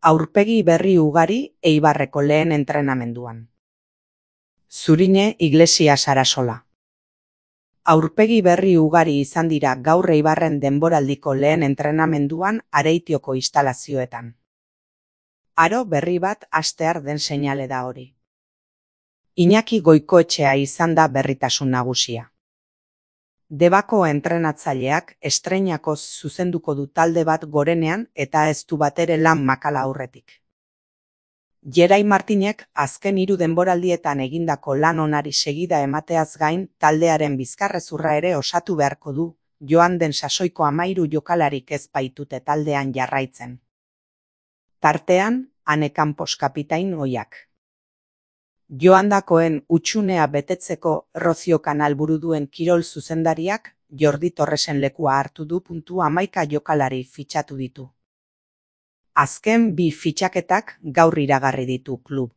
Aurpegi berri ugari Eibarreko lehen entrenamenduan. Zurine Iglesia Sarasola. Aurpegi berri ugari izan dira gaur Eibarren denboraldiko lehen entrenamenduan Areitioko instalazioetan. Aro berri bat hastear den seinale da hori. Iñaki Goikoetxea izan da berritasun nagusia. Debako entrenatzaileak estreinakoz zuzenduko du talde bat gorenean eta ez du batere lan makala aurretik. Jerai Martinek azken 3 denboraldietan egindako lan onari segida emateaz gain taldearen bizkarrezurra ere osatu beharko du, joan den sasoiko 13 jokalarik ez baitute taldean jarraitzen. Tartean, Ane Campos kapitain ohiak. Joandakoen utxunea betetzeko Rocio Kanal buru duen kirol zuzendariak Jordi Torresen lekua hartu du. 11 jokalari fitxatu ditu. Azken 2 fitxaketak gaur iragarri ditu klub.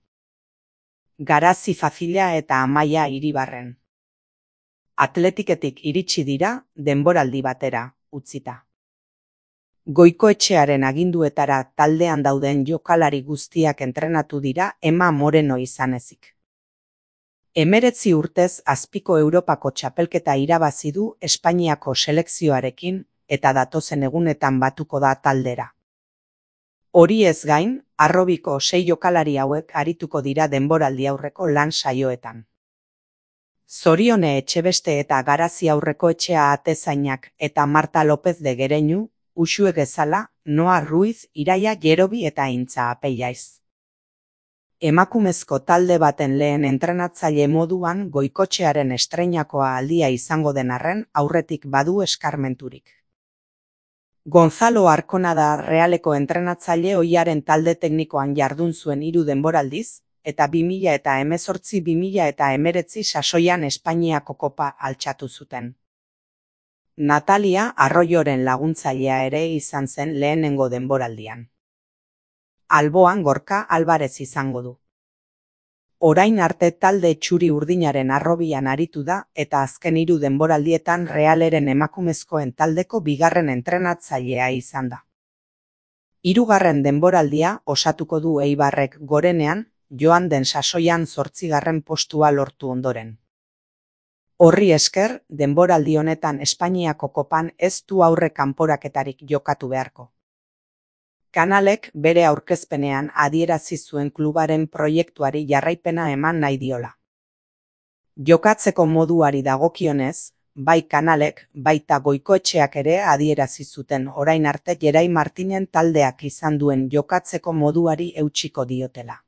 Garazi Fazila eta Amaia Iribarren. Atletiketik iritsi dira denboraldi batera utzita. Goikoetxearen aginduetara taldean dauden jokalari guztiak entrenatu dira Ema Moreno izan ezik. 19 urtez azpiko Europako txapelketa irabazi du Espainiako selekzioarekin eta datozen egunetan batuko da taldera. Hori ez gain, Harrobiko 6 jokalari hauek arituko dira denboraldi aurreko lan saioetan. Zorione Etxebeste eta Garazi Aurrekoetxea atezainak eta Marta López de Gereñu, Uxue Gezala, Noa Ruiz, Iraia Jerobi eta Intza Apeiaiz. Emakumezko talde baten lehen entrenatzaile moduan Goikotxearen estreinakoa aldia izango den arren aurretik badu eskarmenturik. Gonzalo Arkona da Realeko entrenatzaile ohiaren talde teknikoan jardun zuen 3 denboraldiz, eta 2018-2019 sasoian Espainiako kopa altxatu zuten. Natalia Arroyoren laguntzailea ere izan zen lehenengo denboraldian. Alboan Gorka Alvarez izango du. Orain arte talde txuri urdinaren harrobian aritu da eta azken 3 denboraldietan Realeren emakumezkoen taldeko 2. entrenatzailea izan da. 3. denboraldia osatuko du Eibarrek gorenean, joan den sasoian 8. postua lortu ondoren. Horri esker, denboraldi honetan Espainiako kopan ez du aurre kanporaketarik jokatu beharko. Kanalek bere aurkezpenean adierazi zuen klubaren proiektuari jarraipena eman nahi diola. Jokatzeko moduari dagokionez, bai Kanalek, baita Goikoetxeak ere adierazi zuten orain arte Jerai Martinen taldeak izan duen jokatzeko moduari eutsiko diotela.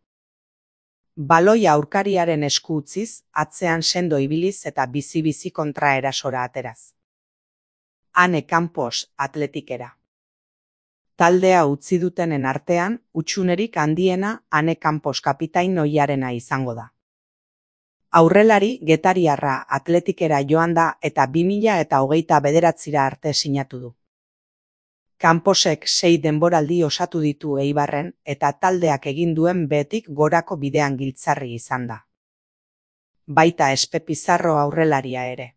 Baloia aurkariaren esku utziz, atzean sendo ibiliz eta bizi-bizi kontraerasora ateraz. Ane Campos atletikera. Taldea utzi dutenen artean, utxunerik handiena Ane Campos kapitain ohiarena izango da. Aurrelari getariarra atletikera joan da eta 2029 arte sinatu du. Camposek 6 denboraldi osatu ditu Eibarren eta taldeak egin duen behetik gorako bidean giltzarri izan da. Baita Espe Pizarro aurrelaria ere.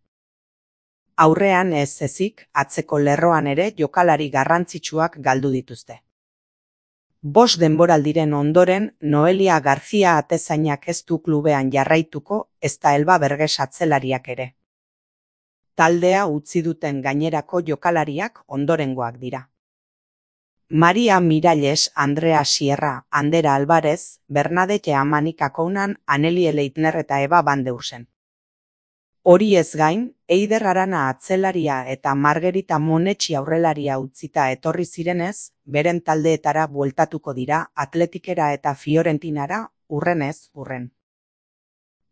Aurrean ez ezik, atzeko lerroan ere jokalari garrantzitsuak galdu dituzte. 5 denboraldiren ondoren Noelia García atezainak ez du klubean jarraituko, ezta Elba Berges atzelariak ere. Taldea utzi duten gainerako jokalariak ondorengoak dira. Maria Miralles, Andrea Sierra, Andera Alvarez, Bernadette Amanik Akounan, Anelie Leitner eta Eba Van Deursen. Hori ez gain, Eider Arana atzelaria eta Margarita Monetxi aurrelaria utzita etorri zirenez, beren taldeetara bueltatuko dira Atletikera eta Fiorentinara urrenez urren.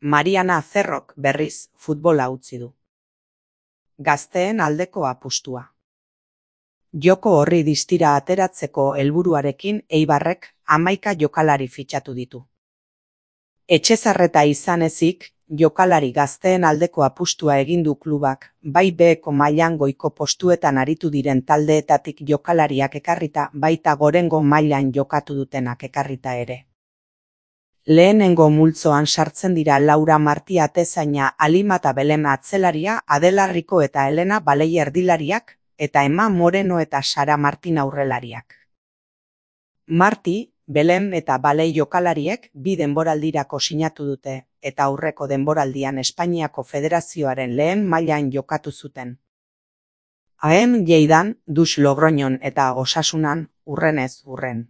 Mariana Zerrok berriz futbola utzi du. Gazteen aldeko apustua. Joko horri distira ateratzeko helburuarekin Eibarrek 11 jokalari fitxatu ditu. Etxezarreta izan ezik, jokalari gazteen aldeko apustua egin du klubak, bai B-ko mailan goiko postuetan aritu diren taldeetatik jokalariak ekarrita, baita gorengo mailan jokatu dutenak ekarrita ere. Lehenengo multzoan sartzen dira Laura Marti atezaina, Alimata Belen atzelaria, Adela Rico eta Elena Balei erdilariak, eta Ema Moreno eta Sara Martin aurrelariak. Marti, Belem eta Balei jokalariek 2 denboraldirako sinatu dute eta aurreko denboraldian Espainiako Federazioaren lehen mailan jokatu zuten. AM Lleidan, Dus Logroñon eta Osasunan hurrenez hurren.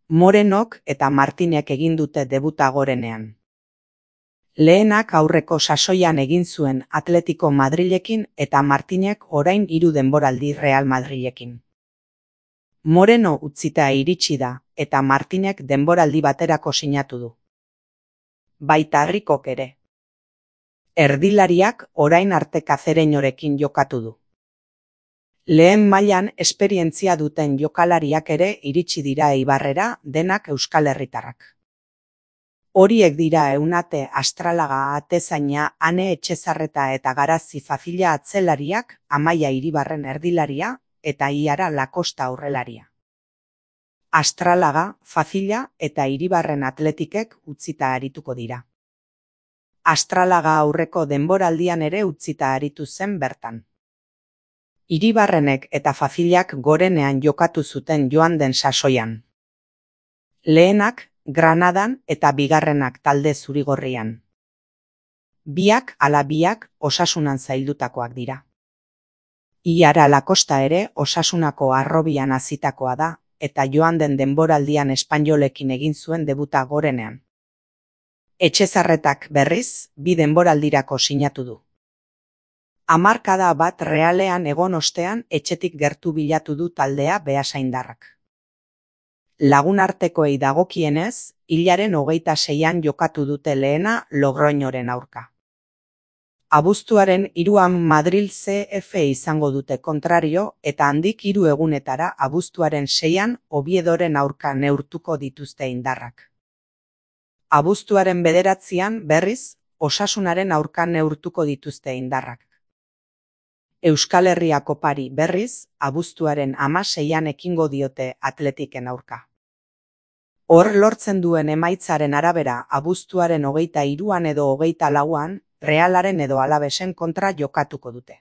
Morenok eta Martinek egin dute debuta gorenean. Lehenak aurreko sasoian egin zuen Atletico Madrilekin eta Martinek orain 3 denboraldi Real Madrilekin. Moreno utzita iritsi da eta Martinek denboraldi baterako sinatu du. Baita Ricok ere. Erdilariak orain arte Cacereñorekin jokatu du. Lehen mailan esperientzia duten jokalariak ere iritsi dira Eibarrera, denak Euskal Herritarrak. Horiek dira Eunate Astralaga atezaina, Ane Etxezarreta eta Garazi Fafila atzelariak, Amaia Iribarren erdilaria eta Iara Lakosta aurrelaria. Astralaga, Fafila eta Iribarren Atletikek utzita arituko dira. Astralaga aurreko denboraldian ere utzita aritu zen bertan. Iribarrenek eta Fafilak gorenean jokatu zuten joan den sasoian. Lehenak Granadan eta bigarrenak talde zurigorrian. Biak ala biak Osasunan zaildutakoak dira. Iara Lakosta ere Osasunako Harrobian hazitakoa da eta joan den denboraldian Espainolekin egin zuen debuta gorenean. Etxezarretak berriz 2 denboraldirako sinatu du. Hamarkada bat Realean egon ostean etxetik gertu bilatu du taldea beasaindarrak. Lagunartekoei dagokienez, hilaren 26an jokatu dute lehena Logroñoren aurka. Abuztuaren 3an Madril CF izango dute kontrario eta handik 3 egunetara abuztuaren 6an Oviedoren aurka neurtuko dituzte indarrak. Abuztuaren 9an berriz Osasunaren aurka neurtuko dituzte indarrak. Euskal Herria Kopari berriz abuztuaren 16an ekingo diote Atletiken aurka. Hor lortzen duen emaitzaren arabera abuztuaren 23an edo 24an Realaren edo Alavesen kontra jokatuko dute.